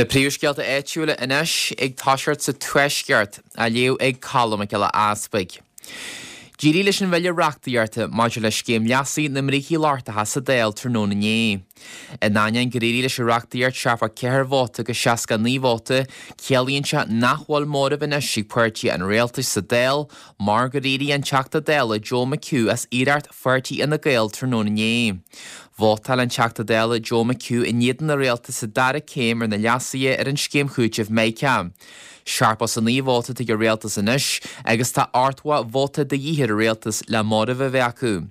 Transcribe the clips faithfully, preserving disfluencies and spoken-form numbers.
Na príomhscéalta áitiúla anois ag toiseacht sa Tuaisceart á léamh ag Colm Mac Giolla Easpaig. D'éirigh leis an bhille reachtaíochta maidir le scéim leasaithe na mbrící lochtacha sa Dáil tráthnóna inné. In ainneoin gur éirigh leis an reachtaíocht seachtó ceathair vóta go seasca naoi vóta, ciallaíonn sé nach bhfuil móramh anois ag páirtí an rialtais sa Dáil mar gur éirigh an Teachta Dála Joe McHugh as iarracht pháirtí Fhine Gael tráthnóna inné. Vótáil an Teachta Dála Joe McHugh in éadan an rialtais sa dara céim ar na leasuithe ar an scéim chúitimh Mica. Seachtó is a naoi vóta ag an rialtas anois agus tá ochtó vóta de dhíth ar an rialtas le móramh a bheith acu.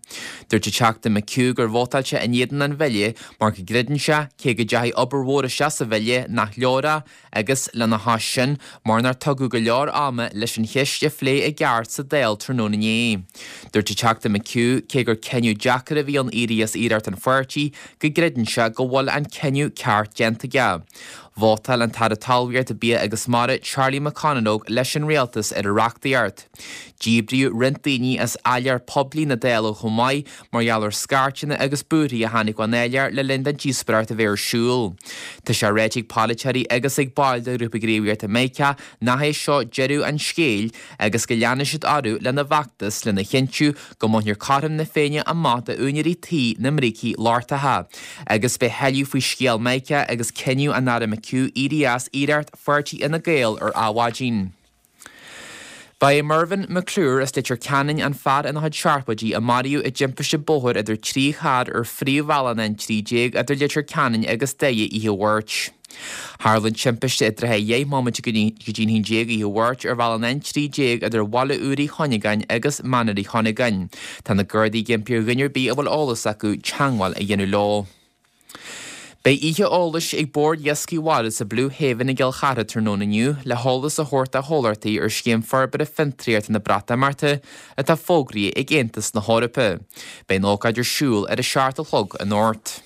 Dúirt an Teachta McHugh gur vótáil sé in éadan an bhille mar go gcreideann sé cé go dteachaigh obair mhór isteach sa bhille nach leor é agus lena chois sin mar nár tugadh go leor ama leis an cheist a phlé i gceart sa Dáil tráthnóna inné. Dúirt an Teachta McHugh cé gur cinneadh deacair a bhí ann éirí as iarracht an pháirtí go gcreideann sé go bhfuil an cinneadh ceart déanta aige. Vótáil an tAire Talmhaíochta Bia agus Mara Charlie McConalogue leis an rialtas ar an reachtaíocht. Díbríodh roinnt daoine as áiléar poiblí na Dála chomh maith mar gheall ar scairteanna agus búirthí a tháinig ón áiléar le linn don díospóireacht a bheith ar siúl. Tá sé ráite ag polaiteoirí agus ag baill de ghrúpa gníomhaíochta Mica nach é seo deireadh an scéil agus go leanfaidh siad orthu lena bhfeachtas lena chinntiú go mbainfear cothrom na Féinne amach d'úinéirí tí na mbrící lochtacha. Agus beidh tuilleadh faoi scéal Mica agus cinneadh an Aire McHugh éirí as iarracht pháirtí Fhine Gael ar Adhmhaidin. Ba é Mervyn McClure as Leitir Ceanainn an fear ina chuid seachtóidí a maraíodh i dtimpiste bóthair idir trí charr ar phríomhbhealach an trí déag idir Leitir Ceanainn agus Doire oíche Mháirt. Tharla an timpiste i dtrátha dheich nóiméad go dtí an haon déag oíche Mháirt ar bhealach an trí déag idir Bhaile Úr Uí Chuinneagáin agus Manar Uí Chuinneagáin. Tá na Gardaí ag impí ar dhuine ar bith a bhfuil eolas acu teagmháil a dhéanamh leo. Beidh oíche eolais ag Bord Iascaigh Mhara sa Blue Haven i gCill Chartha tráthnóna inniu le heolas a thabhairt do chomhlachtaí ar scéim forbartha fiontraíochta na Breatimeachta atá fógraithe ag Aontas na hEorpa. Beidh an ócáid ar siúl ar a seacht a chlog anocht.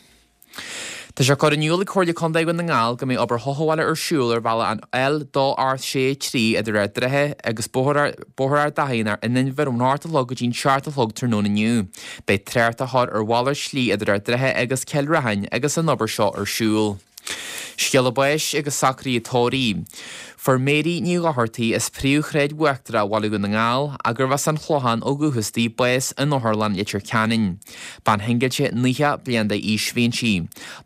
Tá sé curtha in iúl ag Comhairle Contae Dhún na nGall go mbeidh obair chothabhála ar siúl ar bhealach an L dó ocht sé trí idir Ard Droiche agus Bóthar Ard Achaidh in Inbhir ón hocht a chlog go dtí an seacht a chlog tráthnóna inniu. Beidh trácht á chur ar mhalairt slí idir Ard Droiche agus Cill Raithin agus an obair seo ar siúl. Scéala báis agus socruithe tórraimh. Fuair Mary Ní Dhochartaigh as príomhshráid Uachtarach Bhaile Dhún na nGall arb as an Chlochán ó dhúchas di bás in Otharlann Leitir Ceanainn. Bean shingilte nócha bliain d'aois a bhí inti.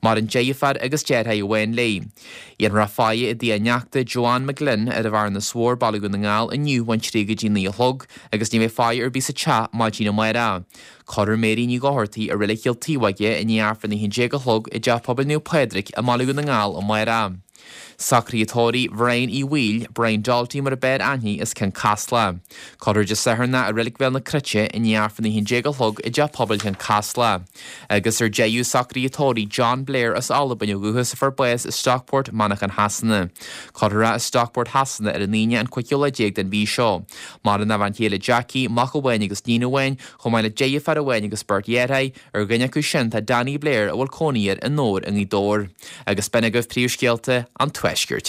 Maireann deirfiúr agus deartháir amháin léi. Dhéanfar faire i dtigh a neachta Joanne McGlynn ar an Bhearnas Mhór Baile Dhún na nGall inniu ón trí go dtí naoi a chlog agus ní bheidh faire ar bith sa teach maidin amárach. Cuirfear Mary Ní Dhochartaigh i Reilig Chill Taobhóige i ndiaidh Aifreann a haon déag a chlog i dteach pobail Naomh Pádraig i mBaile Dhún na nGall amárach. Socruithe tórraimh Bhrian Uí Bhaoill, Brian Dalty mar a b'fhearr aithne as Cionn Caslach. Cuirfear Dé Sathairn i Reilig Bhéal na Cruite i ndiaidh Aifreann a haon déag a chlog i dteach pobail Chionn Caslach. Agus ar deireadh socruithe tórraimh John Blair as Albain ó dhúchas a fuair bás i Stockport, Manchain Shasana. Cuirfear i Stockport Shasana ar an Aoine an cúigiú lá déag den mhí seo. Maireann a bhean chéile Jackie, mac amháin agus iníon amháin, chomh maith le deirfiúr amháin agus beirt dheartháir, ar dhuine acu sin tá Danny Blair a bhfuil cónaí air i nDobhar i nGaoth Dobhair. Agus b'in agaibh príomhscéalta an Tuaiscirt.